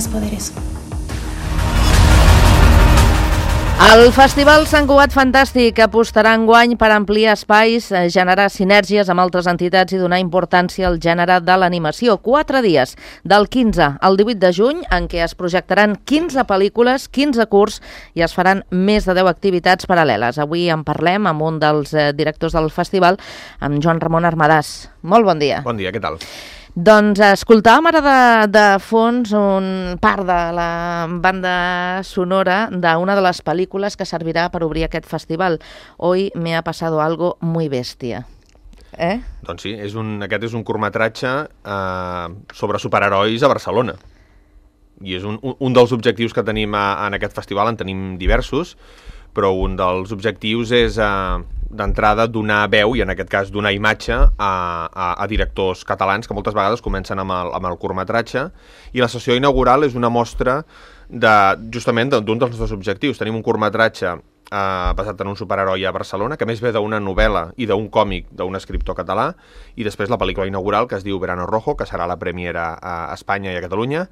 més poderoso. El Festival Sant Cugat Fantàstic apostarà enguany per ampliar espais, generar sinergies amb altres entitats i donar importància al gènere de l'animació. 4 dies, del 15 al 18 de juny, en què es projectaran 15 pel·lícules, 15 curts i es faran més de 10 activitats paral·leles. Avui en parlem amb un dels directors del festival, amb Joan Ramon Armadàs. Molt bon dia. Bon dia, què tal? Doncs escoltàvem ara de fons un part de la banda sonora d'una de les pel·lícules que servirà per obrir aquest festival. Hoy me ha pasado algo muy bestia. Doncs sí, aquest és un curtmetratge sobre superherois a Barcelona. I és un dels objectius que tenim en aquest festival, en tenim diversos, però un dels objectius és d'entrada donar veu, i en aquest cas donar imatge a directors catalans que moltes vegades comencen amb el curtmetratge, i la sessió inaugural és una mostra justament d'un dels nostres objectius. Tenim un curtmetratge basat en un superheroi a Barcelona, que més ve d'una novel·la i d'un còmic d'un escriptor català, i després la pel·lícula inaugural, que es diu Verano Rojo, que serà la premiera a Espanya i a Catalunya,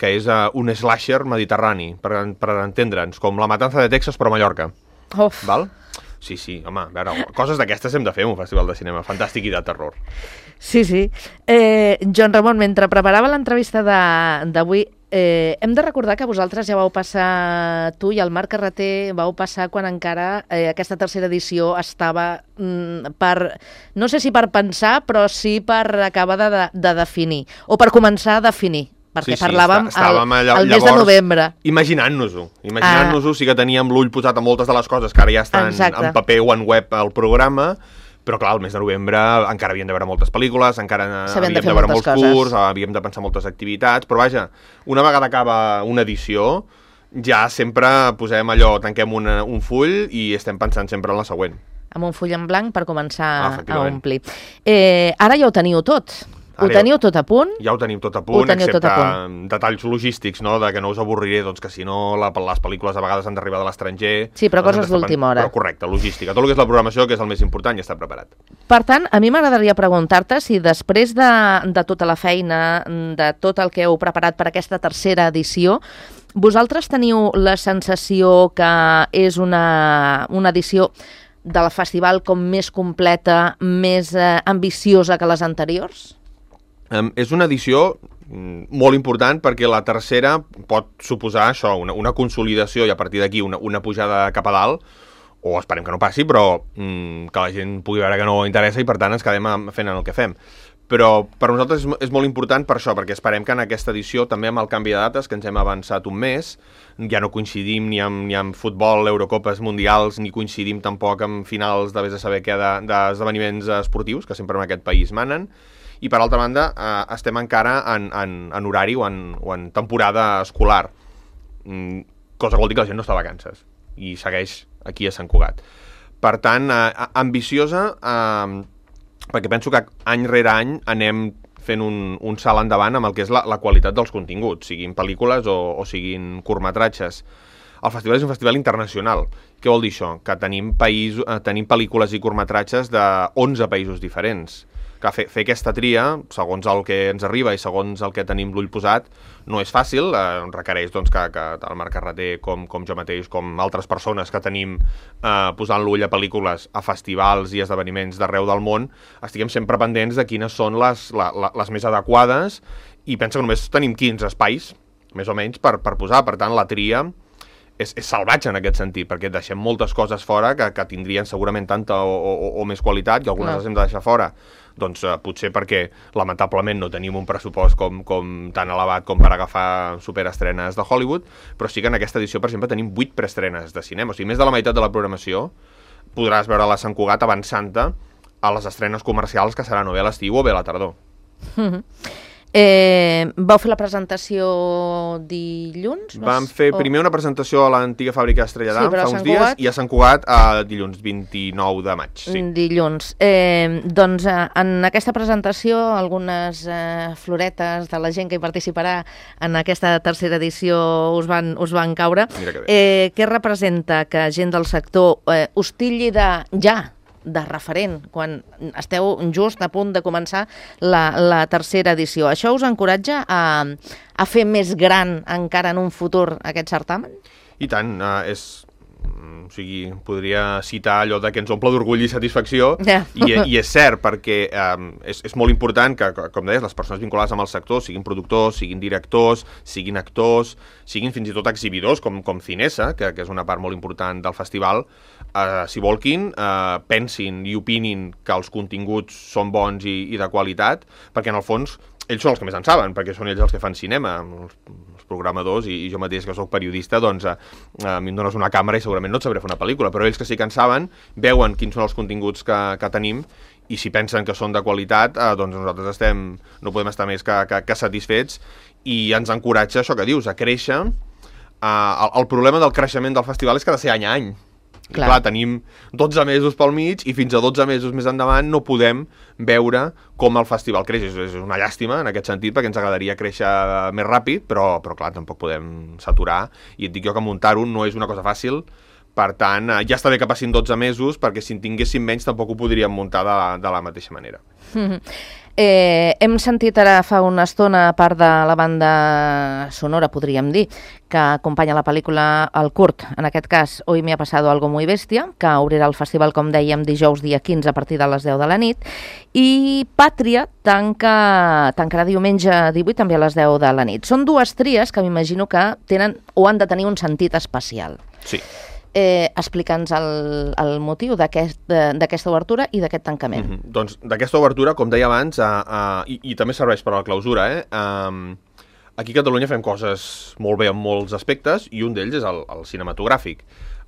que és un slasher mediterrani, per entendre'ns, com La matanza de Texas però a Mallorca. Val? Sí, home, a veure, coses d'aquestes hem de fer un festival de cinema fantàstic i de terror. Sí. Joan Ramon, mentre preparava l'entrevista d'avui, hem de recordar que vosaltres ja vau passar, tu i el Marc Carreter, vau passar quan encara aquesta tercera edició estava no sé si per pensar, però sí per acabar de definir, o per començar a definir. Perquè parlàvem al mes de novembre. Imaginant-nos-ho, sí que teníem l'ull posat a moltes de les coses que ara ja estan en paper o en web al programa, però clar, al mes de novembre encara havíem de veure moltes pel·lícules, encara havíem de veure molts curts, havíem de pensar moltes activitats, però vaja, una vegada acaba una edició, ja sempre posem allò, tanquem un full i estem pensant sempre en la següent. Amb un full en blanc per començar a omplir. Ara ja ho teniu tot. Ho teniu tot a punt? Ja ho tenim tot a punt, excepte detalls logístics, no?, de que no us avorriré, doncs que si no les pel·lícules a vegades han d'arribar de l'estranger. Sí, però coses d'última hora. Però correcte, logística. Tot el que és la programació, que és el més important, ja està preparat. Per tant, a mi m'agradaria preguntar-te si després de tota la feina, de tot el que heu preparat per aquesta tercera edició, vosaltres teniu la sensació que és una edició del festival com més completa, més ambiciosa que les anteriors? És una edició molt important perquè la tercera pot suposar això, una consolidació i a partir d'aquí una pujada cap a dalt, o esperem que no passi, però que la gent pugui veure que no interessa i per tant ens quedem fent el que fem. Però per nosaltres és molt important per això, perquè esperem que en aquesta edició, també amb el canvi de dates, que ens hem avançat un mes, ja no coincidim ni amb futbol, Eurocopes mundials, ni coincidim tampoc amb finals de vés a saber què d'esdeveniments esportius, que sempre en aquest país manen, i per altra banda estem encara en horari o en temporada escolar, cosa que vol dir que la gent no està a vacances i segueix aquí a Sant Cugat. Per tant, ambiciosa, perquè penso que any rere any anem fent un salt endavant amb el que és la qualitat dels continguts, siguin pel·lícules o siguin curtmetratges. El festival és un festival internacional. Què vol dir això? Que tenim pel·lícules i curtmetratges de 11 països diferents. Que fer aquesta tria, segons el que ens arriba i segons el que tenim l'ull posat, no és fàcil, requereix doncs, que el Marc Carreter, com jo mateix, com altres persones que tenim posant l'ull a pel·lícules, a festivals i esdeveniments d'arreu del món, estiguem sempre pendents de quines són les més adequades, i penso que només tenim 15 espais, més o menys, per posar. Per tant, la tria és salvatge en aquest sentit, perquè deixem moltes coses fora que tindrien segurament tanta o més qualitat, i algunes les hem de deixar fora. Doncs potser perquè lamentablement no tenim un pressupost com tan elevat com per agafar superestrenes de Hollywood, però sí que en aquesta edició, per exemple, tenim 8 preestrenes de cinema. O sigui, més de la meitat de la programació podràs veure la Sant Cugat avançant-te a les estrenes comercials que seran o bé a l'estiu o bé a la tardor. Vau fer la presentació dilluns? Vam fer primer una presentació a l'antiga fàbrica Estrella d'Am fa uns dies, i a Sant Cugat dilluns 29 de maig. Dilluns. Doncs en aquesta presentació algunes floretes de la gent que hi participarà en aquesta tercera edició us van caure. Mira que bé. Què representa que gent del sector us tilli de referent quan esteu just a punt de començar la tercera edició. Això us encoratja a fer més gran encara en un futur aquest certamen? I tant, o sigui, podria citar allò de que ens omple d'orgull i satisfacció, i és cert, perquè és molt important que, com deies, les persones vinculades amb el sector, siguin productors, siguin directors, siguin actors, siguin fins i tot exhibidors, com Cinesa, que és una part molt important del festival, si volguin, pensin i opinin que els continguts són bons i de qualitat, perquè en el fons ells són els que més en saben, perquè són ells els que fan cinema, els programadors, i jo mateix que soc periodista, doncs a mi em dones una càmera i segurament no et sabré fer una pel·lícula, però ells que sí que en saben, veuen quins són els continguts que tenim, i si pensen que són de qualitat, doncs nosaltres no podem estar més que satisfets, i ens encoratja això que dius, a créixer. El problema del creixement del festival és que ha de ser any a any. Clar, tenim 12 mesos pel mig i fins a 12 mesos més endavant no podem veure com el festival creix. És una llàstima en aquest sentit, perquè ens agradaria créixer més ràpid, però clar, tampoc podem saturar. I et dic jo que muntar-ho no és una cosa fàcil, per tant, ja està bé que passin 12 mesos, perquè si en tinguéssim menys tampoc ho podríem muntar de la mateixa manera. Hem sentit ara fa una estona, a part de la banda sonora, podríem dir, que acompanya la pel·lícula El Curt, en aquest cas Hoy me ha pasado algo muy bestia, que obrirà el festival, com dèiem, dijous dia 15 a partir de les 10 de la nit, i Pàtria tancarà diumenge 18 també a les 10 de la nit. Són dues tries que m'imagino que tenen o han de tenir un sentit especial. Sí. Explica'ns el motiu d'aquesta obertura i d'aquest tancament. Doncs d'aquesta obertura, com deia abans, i també serveix per a la clausura, aquí a Catalunya fem coses molt bé en molts aspectes, i un d'ells és el cinematogràfic.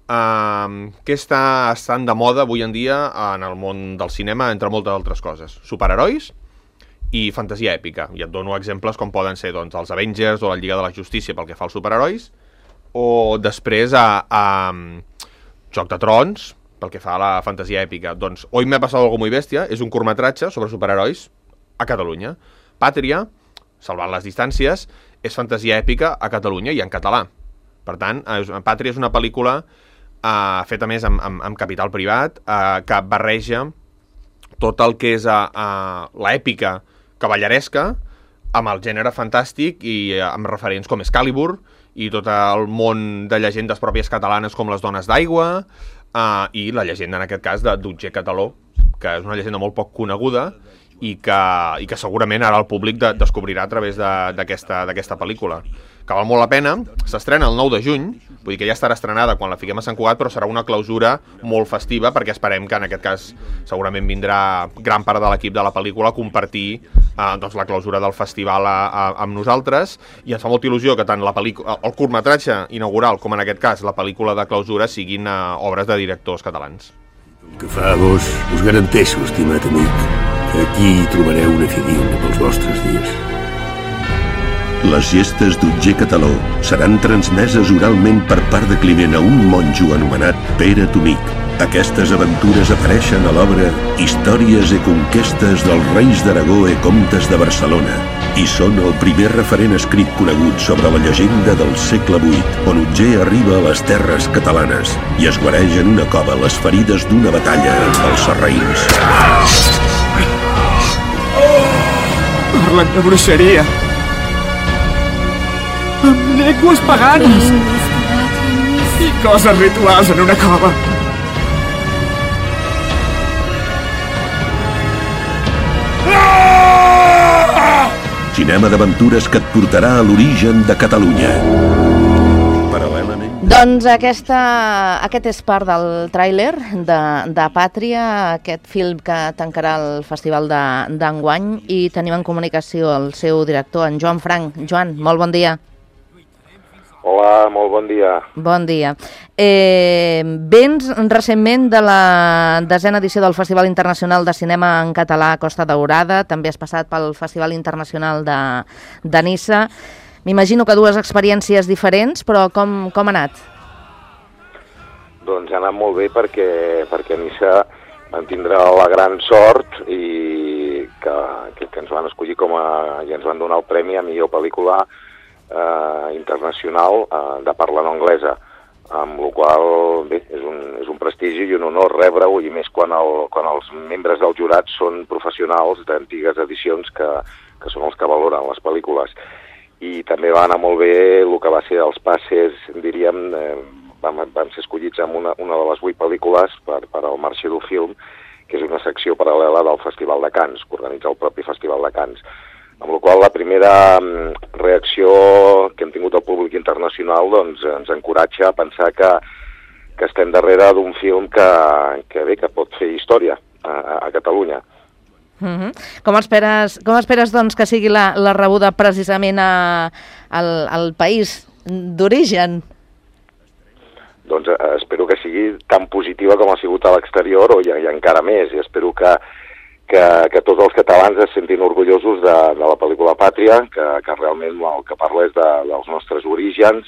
Què està estant de moda avui en dia en el món del cinema, entre moltes altres coses? Superherois i fantasia èpica. I et dono exemples com poden ser els Avengers o la Lliga de la Justícia pel que fa als superherois, o després a Joc de Trons, pel que fa a la fantasia èpica. Doncs Hoy me ha pasado algo muy bestia és un curtmetratge sobre superherois a Catalunya. Pàtria, salvant les distàncies, és fantasia èpica a Catalunya i en català. Per tant, Pàtria és una pel·lícula feta més amb capital privat, que barreja tot el que és l'èpica cavalleresca amb el gènere fantàstic i amb referents com Excalibur i tot el món de llegendes pròpies catalanes com les Dones d'Aigua, i la llegenda, en aquest cas, d'Otger Cataló, que és una llegenda molt poc coneguda i que segurament ara el públic descobrirà a través d'aquesta pel·lícula. Que val molt la pena, s'estrena el 9 de juny, vull dir que ja estarà estrenada quan la fiquem a Sant Cugat, però serà una clausura molt festiva, perquè esperem que en aquest cas segurament vindrà gran part de l'equip de la pel·lícula a compartir la clausura del festival amb nosaltres, i ens fa molta il·lusió que tant el curtmetratge inaugural com en aquest cas la pel·lícula de clausura siguin obres de directors catalans. Que fa vos, us garanteixo, estimat amic, que aquí hi trobareu una figura pels vostres dies. Les gestes d'Otger Cataló seran transmeses oralment per part de Climent a un monjo anomenat Pere Tomic. Aquestes aventures apareixen a l'obra Històries i conquestes dels reis d'Aragó i comtes de Barcelona i són el primer referent escrit conegut sobre la llegenda del segle VIII, on Otger arriba a les terres catalanes i es guareix en una cova les ferides d'una batalla amb els sarraïns. Parlen de bruixeria. Amb llengües paganes i coses rituals en una cova. Cinema d'aventures que et portarà a l'origen de Catalunya. Paral·lelament... Doncs aquest és part del tràiler de Pàtria, aquest film que tancarà el festival d'enguany, i tenim en comunicació el seu director, en Joan Frank. Joan, molt bon dia. Hola, molt bon dia. Bon dia. Vens recentment de la 10a edició del Festival Internacional de Cinema en Català Costa Daurada, també has passat pel Festival Internacional de Niça. M'imagino que dues experiències diferents, però com ha anat? Doncs ha anat molt bé perquè a Niça vam tindre la gran sort i que ens van escollir i ens van donar el premi a millor pel·lícula internacional de parla no anglesa. amb la qual cosa és un prestigi i un honor rebre-ho, i més quan els membres del jurat són professionals d'antigues edicions que són els que valoren les pel·lícules. I també va anar molt bé el que va ser els passes, diríem, vam ser escollits amb una de les 8 pel·lícules per al Marché du Film, que és una secció paral·lela del Festival de Cannes, que organitza el propi Festival de Cannes. Amb la qual cosa la primera reacció que hem tingut al públic internacional doncs, ens encoratja a pensar que estem darrere d'un film que pot fer història a Catalunya. Com esperes doncs, que sigui la rebuda precisament al país d'origen? Doncs espero que sigui tan positiva com ha sigut a l'exterior, o i encara més, i espero que tots els catalans es sentin orgullosos de la pel·lícula Pàtria, que realment el que parla és dels nostres orígens,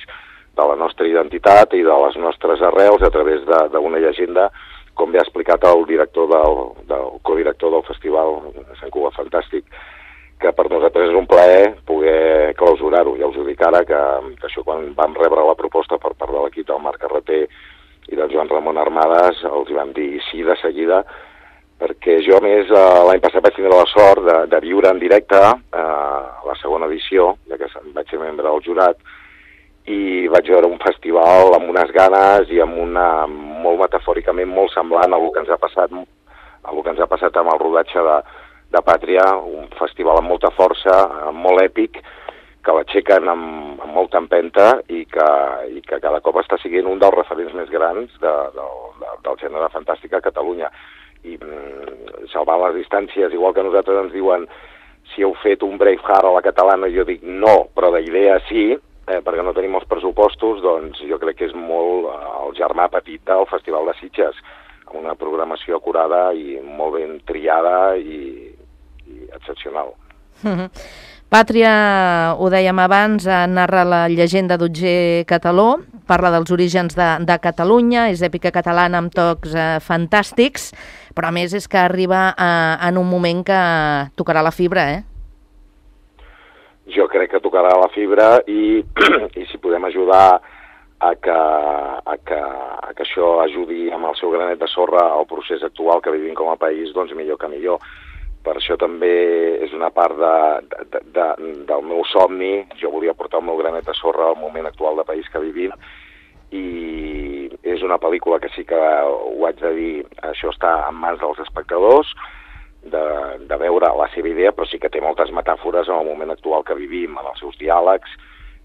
de la nostra identitat i de les nostres arrels a través d'una llegenda, com bé ha explicat el codirector del festival, Sant Cugat Fantàstic, que per nosaltres és un plaer poder clausurar-ho. Ja us ho dic ara, que això quan vam rebre la proposta per part de l'equip del Marc Carreter i del Joan Ramon Armades, els vam dir sí de seguida, perquè jo, a més, l'any passat vaig tindre la sort de viure en directe la segona edició, ja que vaig ser membre del jurat, i vaig veure un festival amb unes ganes i amb molt metafòricament molt semblant a el que ens ha passat amb el rodatge de Pàtria, un festival amb molta força, molt èpic, que l'aixequen amb molta empenta i que cada cop està sent un dels referents més grans del gènere fantàstic a Catalunya. I salvar les distàncies, igual que nosaltres ens diuen si heu fet un Braveheart a la catalana, jo dic no, però d'idea sí, perquè no tenim els pressupostos, doncs jo crec que és molt el germà petit del Festival de Sitges, amb una programació acurada i molt ben triada i excepcional. Pàtria, ho dèiem abans, narra la llegenda d'Otger Cataló, parla dels orígens de Catalunya, és èpica catalana amb tocs fantàstics, però a més és que arriba en un moment que tocarà la fibra, Jo crec que tocarà la fibra i si podem ajudar a que això ajudi amb el seu granet de sorra al procés actual que vivim com a país, doncs millor que millor. Per això també és una part del meu somni. Jo volia portar el meu granet de sorra al moment actual de país que vivim, i és una pel·lícula que sí que ho haig de dir, això està en mans dels espectadors, de veure la seva idea, però sí que té moltes metàfores en el moment actual que vivim, en els seus diàlegs,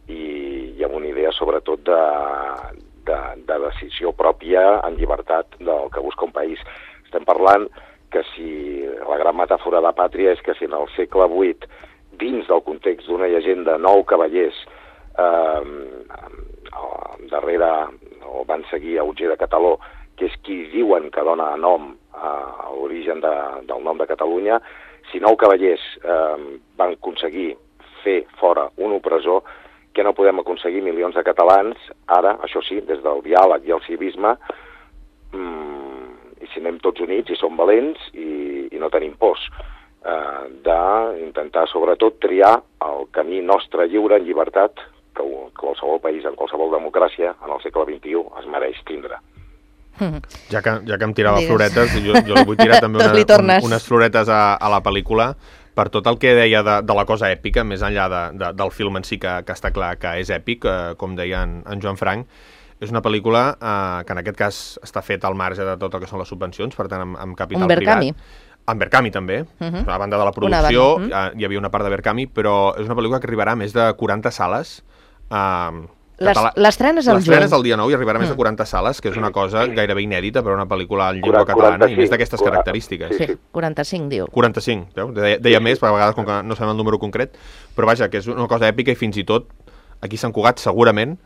i amb una idea sobretot de decisió pròpia en llibertat del que busca un país. Estem parlant que si la gran metàfora de Pàtria és que si en el segle VIII, dins del context d'una llegenda, 9 cavallers darrere o van seguir a Otger de Cataló, que és qui diuen que dona nom a l'origen del nom de Catalunya, si 9 cavallers van aconseguir fer fora un opressor, que no podem aconseguir milions de catalans, ara, això sí, des del diàleg i el civisme, i si anem tots units i som valents i no tenim pors, d'intentar sobretot triar el camí nostre lliure en llibertat que qualsevol país, en qualsevol democràcia, en el segle XXI es mereix tindre. Ja que em tirava floretes, jo li vull tirar també unes floretes a la pel·lícula per tot el que deia de la cosa èpica, més enllà del film en si, que està clar que és èpic, com deia en Joan Frank. És una pel·lícula que en aquest cas està feta al marge de tot el que són les subvencions, per tant amb capital privat. En Berkami també, a banda de la producció, hi havia una part de Berkami, però és una pel·lícula que arribarà a més de 40 sales. L'estrena és el juny. L'estrena és el dia 9 i arribarà a més de 40 sales, que és una cosa gairebé inèdita per a una pel·lícula en llengua catalana, i més d'aquestes característiques. Sí, 45, diu. 45, veu? Deia més, per a vegades com que no sabem el número concret, però vaja, que és una cosa èpica, i fins i tot aquí a Sant Cugat segurament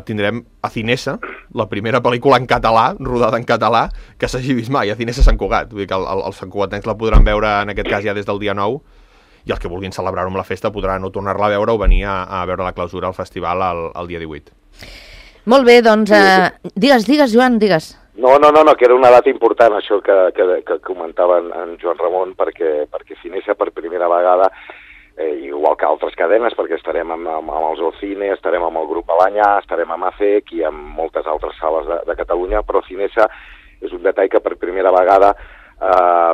tindrem a Cinesa, la primera pel·lícula en català, rodada en català, que s'hagi vist mai, a Cinesa Sant Cugat. Vull dir que els santcugatencs la podran veure en aquest cas ja des del dia 9, i els que vulguin celebrar-ho amb la festa podran o tornar-la a veure o venir a veure la clausura al festival el dia 18. Molt bé, doncs, digues, Joan, digues. No, que era una data important, això que comentava en Joan Ramon, perquè Cinesa per primera vegada igual que altres cadenes, perquè estarem amb el Zoocine, estarem amb el Grup Alanyà, estarem amb ACEC i amb moltes altres sales de Catalunya, però Cinesa és un detall que per primera vegada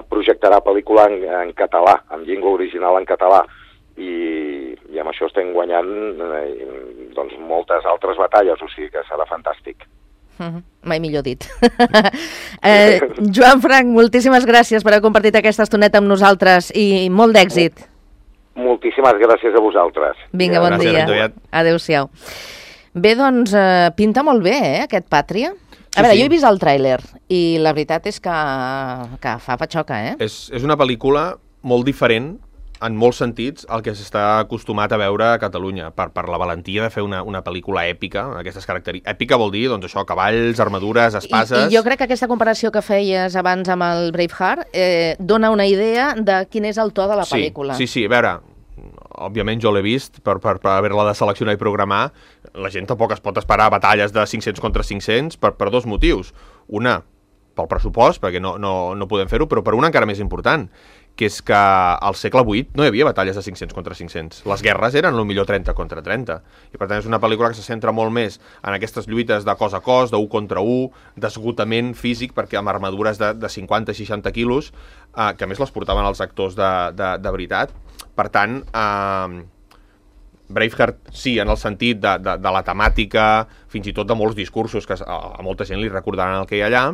projectarà pel·lícula en català, amb llengua original en català, i amb això estem guanyant doncs, moltes altres batalles, o sigui que serà fantàstic. Mai millor dit. Joan Frank, moltíssimes gràcies per haver compartit aquesta estoneta amb nosaltres i molt d'èxit. Moltíssimes gràcies a vosaltres. Vinga, bon dia. Adéu-siau. Bé, doncs, pinta molt bé, aquest Pàtria. A veure, jo he vist el tràiler i la veritat és que fa patxoca, eh? És una pel·lícula molt diferent en molts sentits el que s'està acostumat a veure a Catalunya, per la valentia de fer una pel·lícula èpica, aquestes característiques. Èpica vol dir, doncs això, cavalls, armadures, espases... I jo crec que aquesta comparació que feies abans amb el Braveheart dona una idea de quin és el to de la pel·lícula. Sí, a veure, òbviament jo l'he vist per haver-la de seleccionar i programar. La gent tampoc es pot esperar batalles de 500 contra 500 per dos motius. Una, pel pressupost, perquè no podem fer-ho, però per una encara més important, que és que al segle VIII no hi havia batalles de 500 contra 500. Les guerres eren potser 30 contra 30. I per tant és una pel·lícula que se centra molt més en aquestes lluites de cos a cos, d'1 contra 1, d'esgotament físic, perquè amb armadures de 50-60 quilos, que a més les portaven els actors de veritat. Per tant, Braveheart sí, en el sentit de la temàtica, fins i tot de molts discursos, que a molta gent li recordaran el que hi ha allà,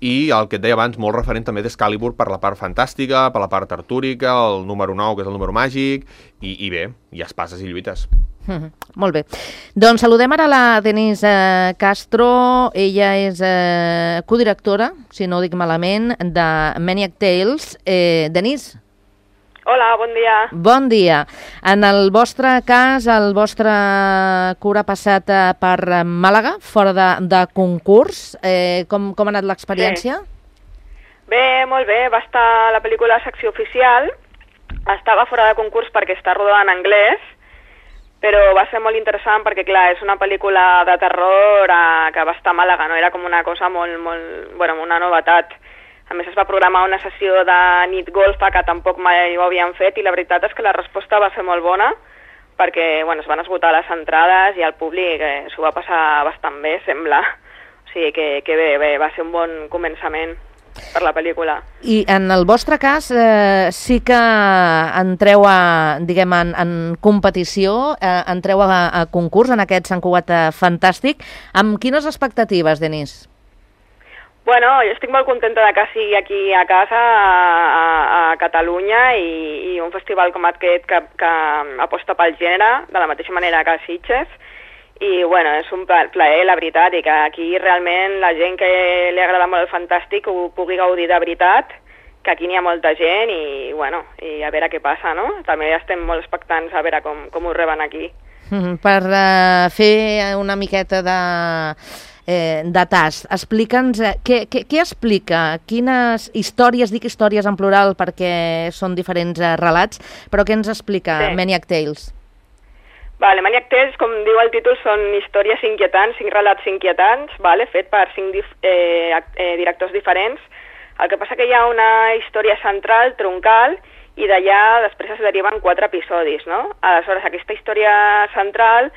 i el que et deia abans, molt referent també d'Excalibur per la part fantàstica, per la part artúrica, el número 9, que és el número màgic, i bé, hi ha espases i lluites. Molt bé. Doncs saludem ara la Denise Castro. Ella és codirectora, si no ho dic malament, de Maniac Tales. Denise? Hola, bon dia. Bon dia. En el vostre cas, el vostre curt ha passat per Màlaga, fora de concurs. Com ha anat l'experiència? Bé, molt bé. Va estar la pel·lícula a secció oficial. Estava fora de concurs perquè està rodada en anglès, però va ser molt interessant perquè, clar, és una pel·lícula de terror que va estar a Màlaga, no? Era com una cosa una novetat. A més, es va programar una sessió de nit golfa que tampoc mai ho havien fet i la veritat és que la resposta va ser molt bona perquè es van esgotar les entrades i el públic s'ho va passar bastant bé, sembla. O sigui que bé, va ser un bon començament per la pel·lícula. I en el vostre cas sí que entreu en competició, entreu a concurs en aquest Sant Cugat Fantàstic. Amb quines expectatives, Denise? Bueno, jo estic molt contenta de que sigui aquí a casa, a Catalunya, i un festival com aquest que aposta pel gènere, de la mateixa manera que a Sitges. I, bueno, és un plaer, la veritat, i que aquí realment la gent que li agrada molt el fantàstic ho pugui gaudir de veritat, que aquí n'hi ha molta gent i, bueno, i a veure què passa, no? També estem molt expectants a veure com ho reben aquí. Per fer una miqueta de tast, explica'ns què explica, quines històries, dic històries en plural perquè són diferents relats, però què ens explica Maniac Tales? Vale, Maniac Tales, com diu el títol, són històries inquietants, 5 relats inquietants, fet per 5 directors diferents. El que passa que hi ha una història central, troncal, i d'allà després es deriven 4 episodis, no? Aleshores, aquesta història central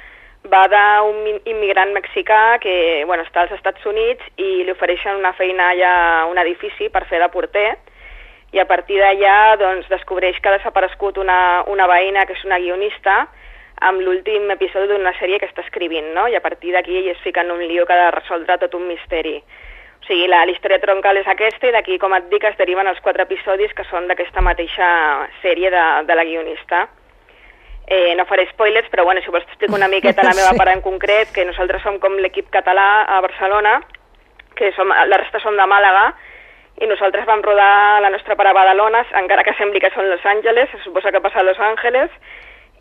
va d'un immigrant mexicà que està als Estats Units i li ofereixen una feina allà a un edifici per fer de porter, i a partir d'allà descobreix que ha desaparegut una veïna que és una guionista amb l'últim episodi d'una sèrie que està escrivint, no? I a partir d'aquí ell es fica en un lío que ha de resoldre tot un misteri. O sigui, la història troncal és aquesta, i d'aquí, com et dic, es deriven els 4 episodis que són d'aquesta mateixa sèrie de la guionista. No faré spoilers, però si vols t'explico una miqueta la meva part en concret, que nosaltres som com l'equip català a Barcelona, que la resta som de Màlaga, i nosaltres vam rodar la nostra part a Badalona, encara que sembli que són Los Angeles, se suposa que passa a Los Angeles,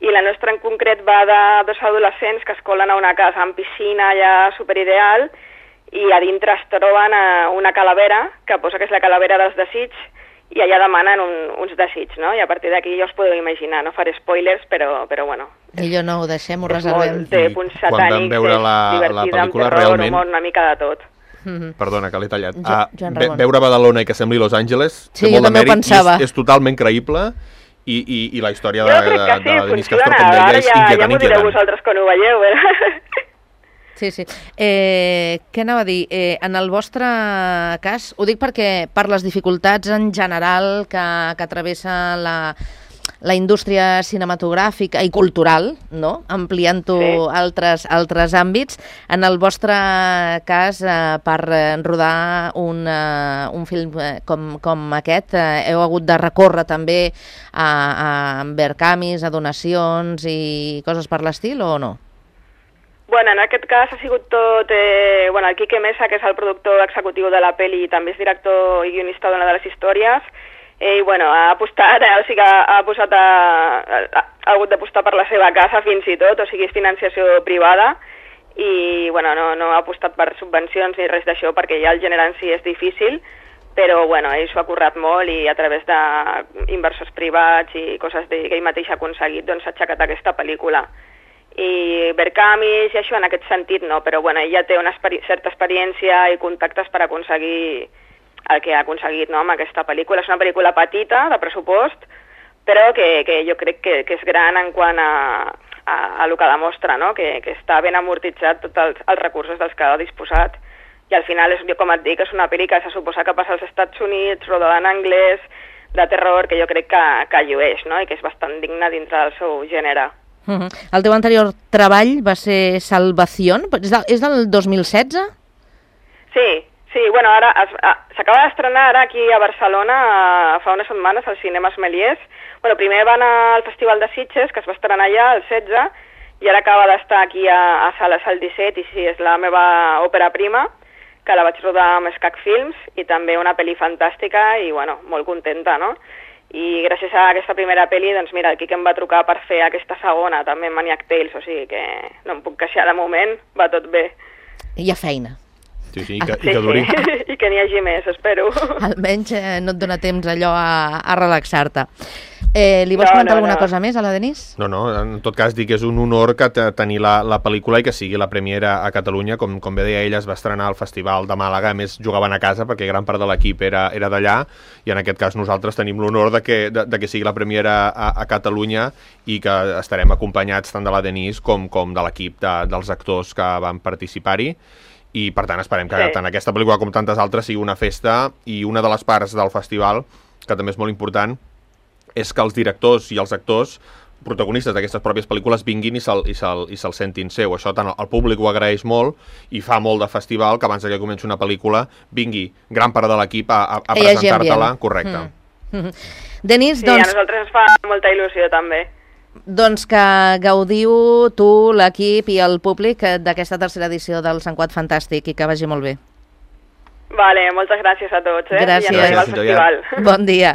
i la nostra en concret va de 2 adolescents que es colen a una casa amb piscina allà superideal, i a dintre es troben una calavera, que posa que és la calavera dels desigs, i allà demanen uns desigs, no? I a partir d'aquí ja us podeu imaginar, no faré spoilers, però bueno. Millor no ho deixem, ho reservem. Té punts satànics, quan vam veure la pel·lícula, amb terror, realment... humor, una mica de tot. Perdona, que l'he tallat. Veure Badalona i que sembli Los Angeles, sí, jo també ho pensava. És totalment creïble, i la història Jo crec que sí, de Denis Castor, com funciona. deia, és Ara ja m'ho direu inquietant. vosaltres quan ho veieu. Sí. Què anava a dir? En el vostre cas, ho dic perquè per les dificultats en general que travessa la indústria cinematogràfica i cultural, no? Ampliant-ho altres àmbits. En el vostre cas, per rodar un film com aquest, heu hagut de recórrer també a Vercamis, a donacions i coses per l'estil, o no? Bueno, en aquest cas ha sigut tot... el Quique Mesa, que és el productor executiu de la pel·li i també és director i guionista d'una de les històries, i bueno, ha apostat, ha hagut d'apostar per la seva casa fins i tot, o sigui, és financiació privada, i bueno, no ha apostat per subvencions ni res d'això, perquè ja el gènere en si és difícil, però bueno, ell s'ho ha currat molt i a través d'inversors privats i coses que ell mateix ha aconseguit, doncs s'ha aixecat aquesta pel·lícula. I Vercamis i això en aquest sentit no, però bueno, ell ja té una certa experiència i contactes per aconseguir el que ha aconseguit, no, amb aquesta pel·lícula. És una pel·lícula petita, de pressupost, però que jo crec que és gran en quant a el que demostra, no? Que està ben amortitzat tots els recursos dels que ha disposat. I al final, com et dic, és una pel·li que se suposa que passa als Estats Units, rodada en anglès, de terror, que jo crec que llueix, no? I que és bastant digna dintre del seu gènere. El teu anterior treball va ser Salvación? És del 2016? Sí, bueno, ara s'acaba d'estrenar ara aquí a Barcelona fa unes setmanes al Cinema Meliers. Bueno, primer va anar al Festival de Sitges, que es va estrenar allà el 16, i ara acaba d'estar aquí a Sales el 17, i sí, és la meva òpera prima, que la vaig rodar amb Escac Films, i també una pel·li fantàstica, i bueno, molt contenta, no? I gràcies a aquesta primera pel·li, doncs mira, el Quique em va trucar per fer aquesta segona, també en Maniac Tales, o sigui que no em puc queixar de moment, va tot bé. Hi ha feina. Sí, i que duri. I que n'hi hagi més, espero. Almenys no et dona temps allò a relaxar-te. Li vols comentar alguna cosa més a la Denise? No, en tot cas dic que és un honor que tenir la pel·lícula i que sigui la premiera a Catalunya. Com bé deia ella, es va estrenar al Festival de Màlaga, a més jugaven a casa perquè gran part de l'equip era d'allà, i en aquest cas nosaltres tenim l'honor de que sigui la premiera a Catalunya i que estarem acompanyats tant de la Denise com de l'equip dels actors que van participar-hi. I per tant esperem que tant aquesta pel·lícula com tantes altres sigui una festa, i una de les parts del festival, que també és molt important, és que els directors i els actors protagonistes d'aquestes pròpies pel·lícules vinguin i se'l sentin seu. Això tant el públic ho agraeix molt, i fa molt de festival que abans que comenci una pel·lícula vingui gran part de l'equip a presentar-te-la. Correcte. Denise, sí, a nosaltres ens fa molta il·lusió també. Doncs que gaudiu tu, l'equip i el públic d'aquesta tercera edició del Sant Quat Fantàstic, i que vagi molt bé. Vale, moltes gràcies a tots. Gràcies. I ens al festival. Bon dia.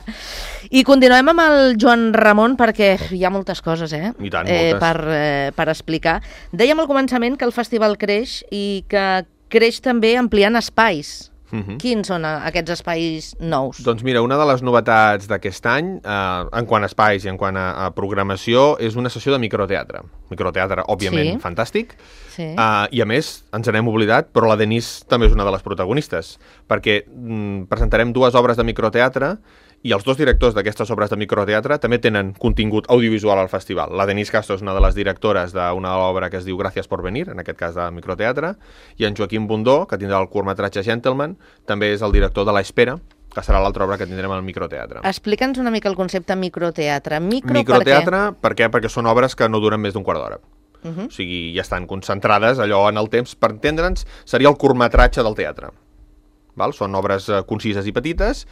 I continuem amb el Joan Ramon, perquè hi ha moltes coses I tant, moltes. Per explicar. Dèiem al començament que el festival creix i que creix també ampliant espais. Quins són aquests espais nous? Doncs mira, una de les novetats d'aquest any, en quant a espais i en quant a programació, és una sessió de microteatre. Microteatre, òbviament, fantàstic. Sí. I a més, ens n'hem oblidat, però la Denise també és una de les protagonistes, perquè presentarem 2 obres de microteatre, i els 2 directors d'aquestes obres de microteatre també tenen contingut audiovisual al festival. La Denise Castro és una de les directores d'una obra que es diu Gràcies por venir, en aquest cas de microteatre, i en Joaquim Bundó, que tindrà el curtmetratge Gentleman, també és el director de l'Espera, que serà l'altra obra que tindrem al microteatre. Explica'ns una mica el concepte microteatre. Microteatre, per què? Perquè són obres que no duren més d'1 quart d'hora. O sigui, ja estan concentrades allò en el temps. Per entendre'ns, seria el curtmetratge del teatre. Són obres concises i petites,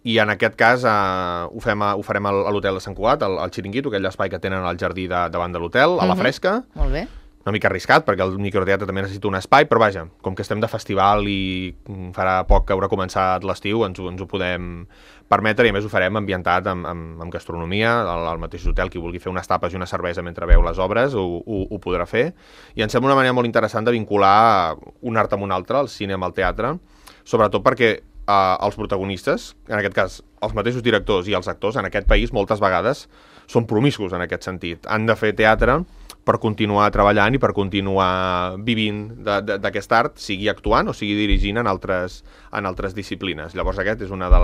i en aquest cas ho farem a l'hotel de Sant Cugat, al Xiringuito, aquell espai que tenen al jardí davant de l'hotel, a la fresca. Molt bé. Una mica arriscat, perquè el microteatre també necessita un espai, però vaja, com que estem de festival i farà poc que haurà començat l'estiu, ens ho podem permetre, i a més ho farem ambientat amb gastronomia, al mateix hotel. Qui vulgui fer unes tapes i una cervesa mentre veu les obres ho podrà fer. I em sembla una manera molt interessant de vincular un art amb un altre, el cine amb el teatre, sobretot perquè els protagonistes, en aquest cas els mateixos directors i els actors, en aquest país moltes vegades són promiscus en aquest sentit. Han de fer teatre, per continuar treballant i per continuar vivint d'aquest art, sigui actuant o sigui dirigint en altres disciplines. Llavors aquest és una de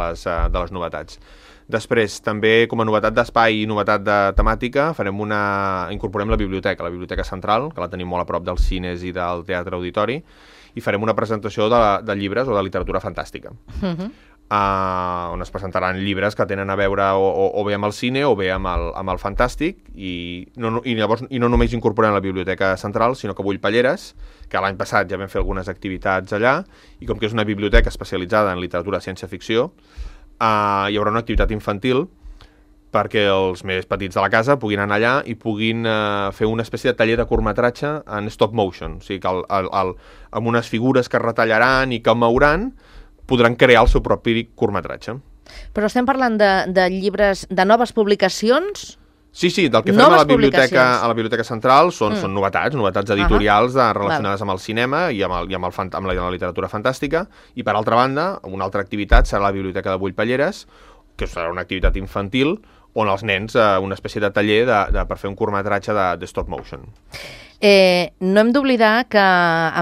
les novetats. Després, també com a novetat d'espai i novetat de temàtica, incorporem la biblioteca central, que la tenim molt a prop dels cines i del teatre auditori, i farem una presentació de llibres o de literatura fantàstica. On es presentaran llibres que tenen a veure o bé amb el cine o bé amb el fantàstic, i no només incorporem la biblioteca central, sinó que Bull Palleres, que l'any passat ja vam fer algunes activitats allà, i com que és una biblioteca especialitzada en literatura ciència-ficció, hi haurà una activitat infantil perquè els més petits de la casa puguin anar allà i puguin fer una espècie de taller de curtmetratge en stop motion, o sigui que amb unes figures que retallaran i que mouran podran crear el seu propi curtmetratge. Però estem parlant de llibres, de noves publicacions? Sí, del que fem a la Biblioteca Central són novetats editorials relacionades amb el cinema i amb la literatura fantàstica, i per altra banda, una altra activitat serà la Biblioteca de Bull Palleres, que serà una activitat infantil on els nens, una espècie de taller per fer un curtmetratge de stop motion. No hem d'oblidar que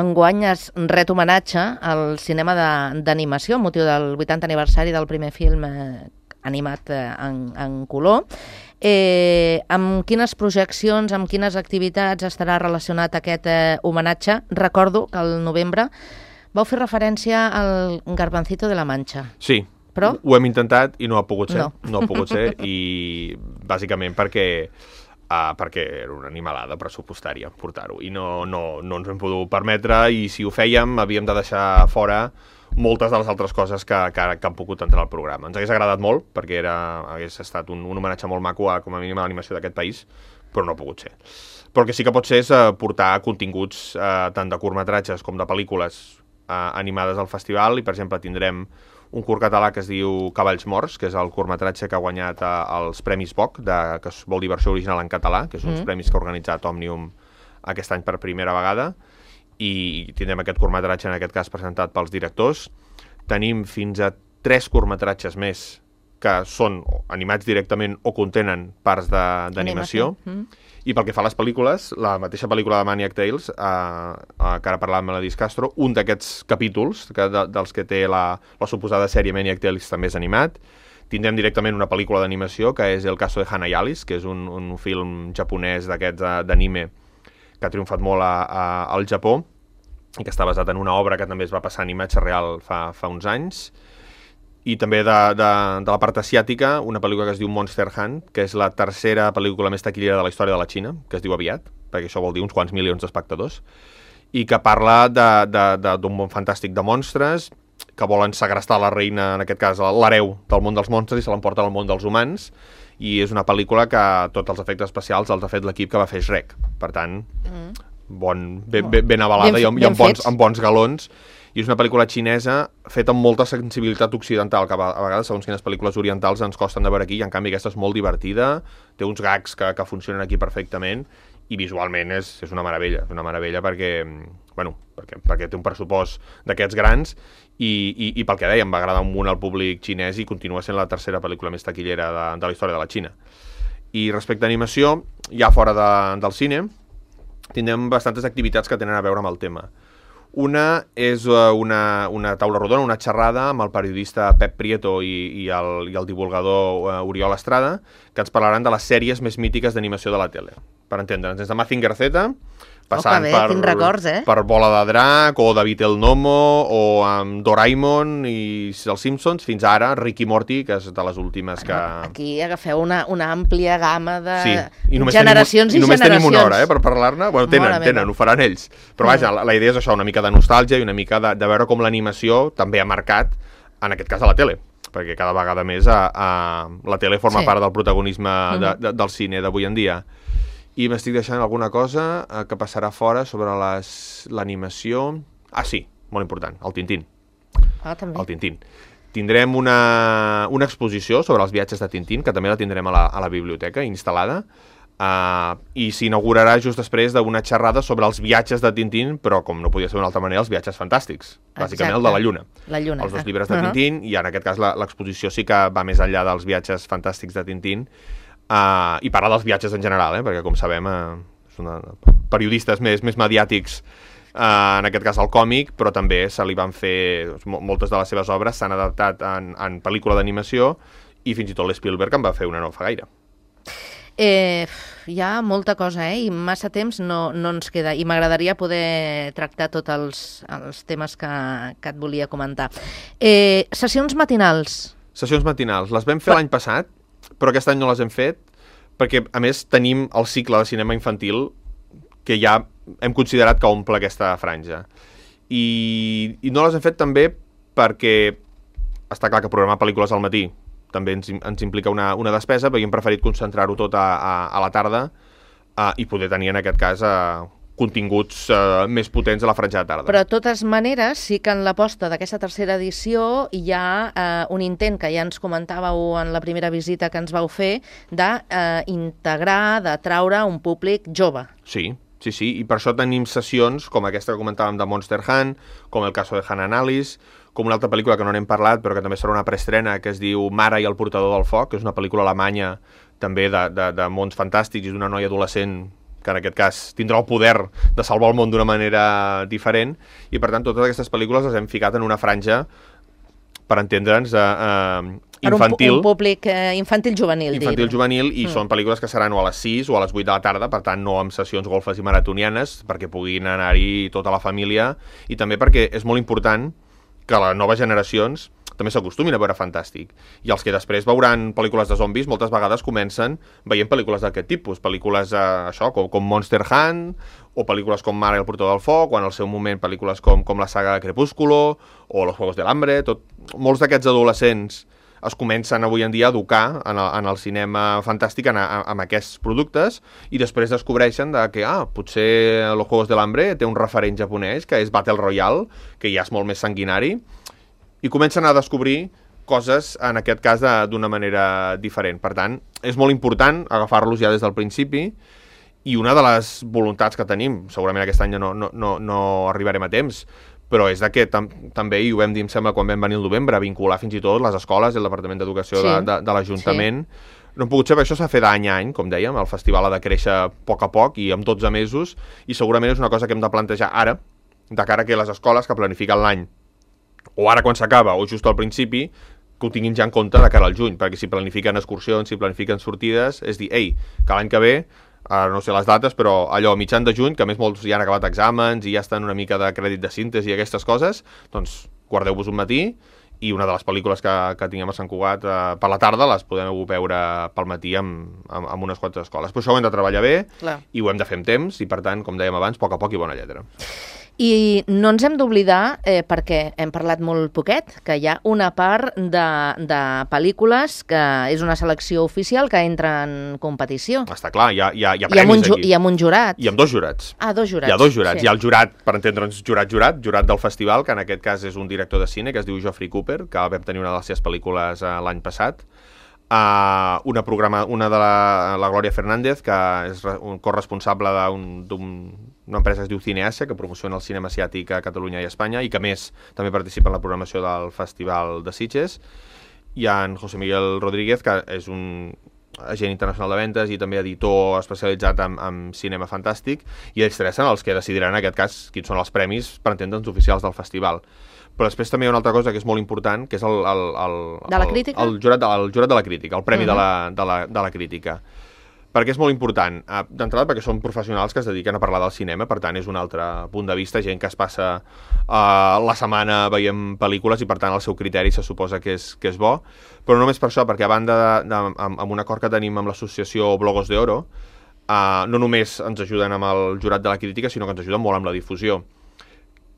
enguany es ret homenatge al cinema d'animació, amb motiu del 80 aniversari del primer film animat en color. Amb quines projeccions, amb quines activitats estarà relacionat aquest homenatge? Recordo que al novembre vau fer referència al Garbancito de la Mancha. Sí, però ho hem intentat i no ha pogut ser. No ha pogut ser, i bàsicament perquè era una animalada pressupostària portar-ho, i no ens ho hem pogut permetre, i si ho fèiem havíem de deixar fora moltes de les altres coses que han pogut entrar al programa. Ens hagués agradat molt, perquè hagués estat un homenatge molt maco com a mínim a l'animació d'aquest país, però no ha pogut ser. Però el que sí que pot ser és portar continguts tant de curtmetratges com de pel·lícules animades al festival, i per exemple tindrem un curt català que es diu Cavalls Morts, que és el curtmetratge que ha guanyat els Premis BOC, que vol dir versió original en català, que és uns premis que ha organitzat Òmnium aquest any per primera vegada, i tindrem aquest curtmetratge, en aquest cas presentat pels directors. Tenim fins a 3 curtmetratges més que són animats directament o contenen parts d'animació. I pel que fa a les pel·lícules, la mateixa pel·lícula de Maniac Tales, que ara parlàvem amb la Dis Castro, un d'aquests capítols dels que té la suposada sèrie Maniac Tales també és animat. Tindrem directament una pel·lícula d'animació, que és El caso de Hana y Alice, que és un film japonès d'aquests d'anime que ha triomfat molt al Japó, i que està basat en una obra que també es va passar a imatge real fa uns anys. I també de la part asiàtica, una pel·lícula que es diu Monster Hunt, que és la tercera pel·lícula més taquillera de la història de la Xina, que es diu aviat, perquè això vol dir uns quants milions d'espectadors, i que parla d'un món fantàstic de monstres que volen segrestar la reina, en aquest cas l'hereu del món dels monstres, i se l'emporten al món dels humans, i és una pel·lícula que tots els efectes especials els ha fet l'equip que va fer Shrek. Per tant, ben avalada i amb bons galons. I és una pel·lícula xinesa feta amb molta sensibilitat occidental, que a vegades, segons quines pel·lícules orientals, ens costen de veure aquí, i en canvi aquesta és molt divertida, té uns gags que funcionen aquí perfectament, i visualment és una meravella perquè té un pressupost d'aquests grans, i pel que dèiem, va agradar un munt al públic xinès i continua sent la tercera pel·lícula més taquillera de la història de la Xina. I respecte a animació, ja fora del cine, tindrem bastantes activitats que tenen a veure amb el tema. Una és una taula rodona, una xerrada amb el periodista Pep Prieto i el divulgador Oriol Estrada, que ens parlaran de les sèries més mítiques d'animació de la tele. Per entendre'ns, des de Mazinger Z, passant per Bola de Drac, o David el Nomo, o amb Doraemon i els Simpsons, fins ara Rick i Morty, que és de les últimes que... Aquí agafeu una àmplia gamma de generacions i generacions. I només tenim una hora per parlar-ne. Bueno, tenen, ho faran ells. Però vaja, la idea és això, una mica de nostàlgia i una mica de veure com l'animació també ha marcat, en aquest cas, a la tele, perquè cada vegada més la tele forma part del protagonisme del cine d'avui en dia. I m'estic deixant alguna cosa que passarà fora sobre l'animació. Ah, sí, molt important, el Tintín. També. El Tintín. Tindrem una exposició sobre els viatges de Tintín, que també la tindrem a la biblioteca instal·lada, i s'inaugurarà just després d'una xerrada sobre els viatges de Tintín, però, com no podia ser d'una altra manera, els viatges fantàstics. Bàsicament el de la Lluna. Els 2 llibres de Tintín, i en aquest cas l'exposició sí que va més enllà dels viatges fantàstics de Tintín, i parla dels viatges en general, perquè com sabem periodistes més mediàtics, en aquest cas al còmic, però també se li van fer, moltes de les seves obres s'han adaptat en pel·lícula d'animació, i fins i tot l'Spielberg en va fer una no fa gaire. Hi ha molta cosa, i massa temps no ens queda, i m'agradaria poder tractar tots els temes que et volia comentar. Sessions matinals. Sessions matinals. Les vam fer l'any passat, però aquest any no les hem fet, perquè, a més, tenim el cicle de cinema infantil que ja hem considerat que omple aquesta franja. I no les hem fet també perquè està clar que programar pel·lícules al matí també ens implica una despesa, però hem preferit concentrar-ho tot a la tarda i poder tenir, en aquest cas, continguts més potents a la franja de tarda. Però, de totes maneres, sí que en l'aposta d'aquesta tercera edició hi ha un intent que ja ens comentàveu en la primera visita que ens vau fer d'integrar, de traure un públic jove. Sí, i per això tenim sessions com aquesta que comentàvem de Monster Hunt, com el caso de Hannah Alice, com una altra pel·lícula que no n'hem parlat, però que també serà una preestrena, que es diu Mara i el portador del foc, que és una pel·lícula alemanya també de mons fantàstics i d'una noia adolescent que en aquest cas tindrà el poder de salvar el món d'una manera diferent, i per tant totes aquestes pel·lícules les hem ficat en una franja, per entendre'ns, infantil. Un públic infantil-juvenil. Infantil-juvenil, i són pel·lícules que seran o a les 6 o a les 8 de la tarda, per tant no amb sessions golfes i maratonianes, perquè puguin anar-hi tota la família, i també perquè és molt important que les noves generacions també s'acostumin a veure Fantàstic. I els que després veuran pel·lícules de zombis moltes vegades comencen veient pel·lícules d'aquest tipus, pel·lícules com Monster Hunt, o pel·lícules com Mara i el portador del foc, o en el seu moment pel·lícules com la saga Crepúsculo, o Los Juegos del Hambre. Molts d'aquests adolescents es comencen avui en dia a educar en el cinema fantàstic amb aquests productes, i després descobreixen que potser Los Juegos del Hambre té un referent japonès, que és Battle Royale, que ja és molt més sanguinari, i comencen a descobrir coses, en aquest cas, d'una manera diferent. Per tant, és molt important agafar-los ja des del principi, i una de les voluntats que tenim, segurament aquest any no arribarem a temps, però és que també, i ho vam dir, em sembla, quan vam venir el novembre, vincular fins i tot les escoles i el Departament d'Educació de l'Ajuntament. No hem pogut ser, però això s'ha fet d'any a any, com dèiem, el festival ha de créixer a poc i amb 12 mesos, i segurament és una cosa que hem de plantejar ara, de cara que les escoles que planifiquen l'any, o ara quan s'acaba, o just al principi, que ho tinguin ja en compte de cara al juny, perquè si planifiquen excursions, si planifiquen sortides, és dir, que l'any que ve, no sé les dates, però allò a mitjan de juny, que a més molts ja han acabat exàmens i ja estan una mica de crèdit de síntesi i aquestes coses, doncs guardeu-vos un matí, i una de les pel·lícules que tinguem a Sant Cugat per la tarda les podem veure pel matí amb unes quantes escoles. Però això ho hem de treballar bé, i ho hem de fer amb temps, i per tant, com dèiem abans, a poc i bona lletra. I no ens hem d'oblidar, perquè hem parlat molt poquet, que hi ha una part de pel·lícules que és una selecció oficial que entra en competició. Està clar, hi ha premis aquí. I amb un jurat. I amb dos jurats. Dos jurats. Hi ha dos jurats. Sí. Hi ha el jurat, per entendre'ns, jurat del festival, que en aquest cas és un director de cine, que es diu Geoffrey Cooper, que vam tenir una de les seves pel·lícules l'any passat. Una de la Glòria Fernández, que és un corresponsable d'una empresa que es diu Cineàsia, que promociona el cinema asiàtic a Catalunya i a Espanya, i que més també participa en la programació del Festival de Sitges. Hi ha en José Miguel Rodríguez, que és un agent internacional de ventes i també editor especialitzat en cinema fantàstic, i ells tres són els que decidiran en aquest cas quins són els premis, per entendre'ns, oficials del festival. Però després també hi ha una altra cosa que és molt important, que és el jurat de la crítica, el premi de la crítica. Per què és molt important? D'entrada perquè són professionals que es dediquen a parlar del cinema, per tant és un altre punt de vista, gent que es passa la setmana veient pel·lícules i per tant el seu criteri se suposa que és bo, però no només per això, perquè a banda amb un acord que tenim amb l'associació Blogos de Oro, no només ens ajuden amb el jurat de la crítica, sinó que ens ajuden molt amb la difusió.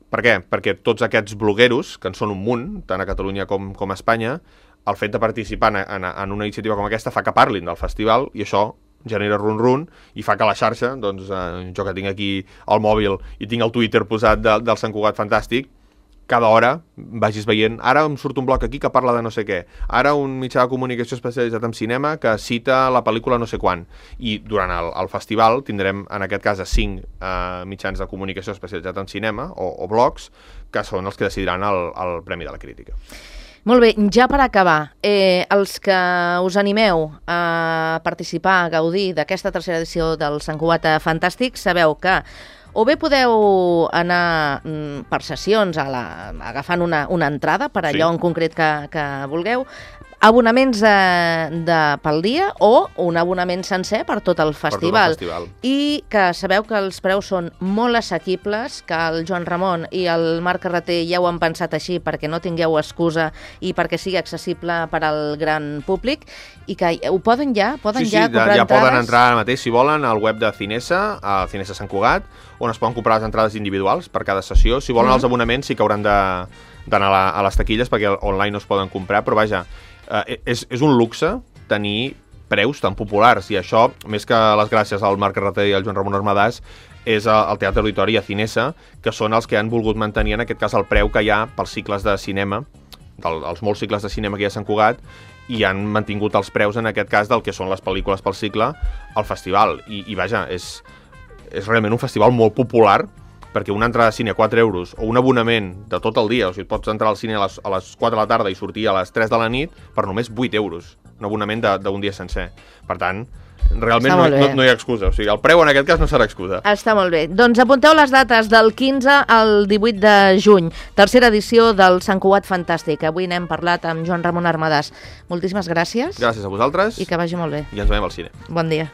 Per què? Perquè tots aquests blogueros, que en són un munt, tant a Catalunya com a Espanya, el fet de participar en una iniciativa com aquesta fa que parlin del festival, i això genera run-run i fa que la xarxa, doncs jo que tinc aquí el mòbil i tinc el Twitter posat del Sant Cugat Fantàstic, cada hora vagis veient, ara em surt un bloc aquí que parla de no sé què, ara un mitjà de comunicació especialitzat en cinema que cita la pel·lícula no sé quan, i durant el festival tindrem en aquest cas 5 mitjans de comunicació especialitzats en cinema o blogs, que són els que decidiran el Premi de la Crítica. Molt bé, ja per acabar, els que us animeu a participar, a gaudir d'aquesta tercera edició del Sant Cugat Fantàstic, sabeu que o bé podeu anar per sessions agafant una entrada per allò en concret que vulgueu, abonaments pel dia o un abonament sencer per tot el festival. I que sabeu que els preus són molt assequibles, que el Joan Ramon i el Marc Carreter ja ho han pensat així perquè no tingueu excusa i perquè sigui accessible per al gran públic, i que ho poden ja comprar entrades? Ja poden entrar ara mateix, si volen, al web de Cinesa, a Cinesa Sant Cugat, on es poden comprar les entrades individuals per cada sessió. Si volen els abonaments sí que hauran d'anar a les taquilles perquè online no es poden comprar, però vaja, és un luxe tenir preus tan populars, i això, més que les gràcies al Marc Carreter i al Joan Ramon Armadàs, és el Teatre Auditori i a Cinesa, que són els que han volgut mantenir en aquest cas el preu que hi ha pels cicles de cinema, els molts cicles de cinema que hi ha a Sant Cugat, i han mantingut els preus en aquest cas del que són les pel·lícules pel cicle al festival. I vaja, és realment un festival molt popular, perquè una entrada de cine a 4 euros o un abonament de tot el dia, o sigui, pots entrar al cine a les 4 de la tarda i sortir a les 3 de la nit per només 8 euros, un abonament d'un dia sencer. Per tant, realment no hi ha excusa, o sigui, el preu en aquest cas no serà excusa. Està molt bé. Doncs apunteu les dates del 15 al 18 de juny, tercera edició del Sant Cugat Fantàstic. Avui n'hem parlat amb Joan Ramon Armadàs. Moltíssimes gràcies. Gràcies a vosaltres. I que vagi molt bé. I ens veiem al cine. Bon dia.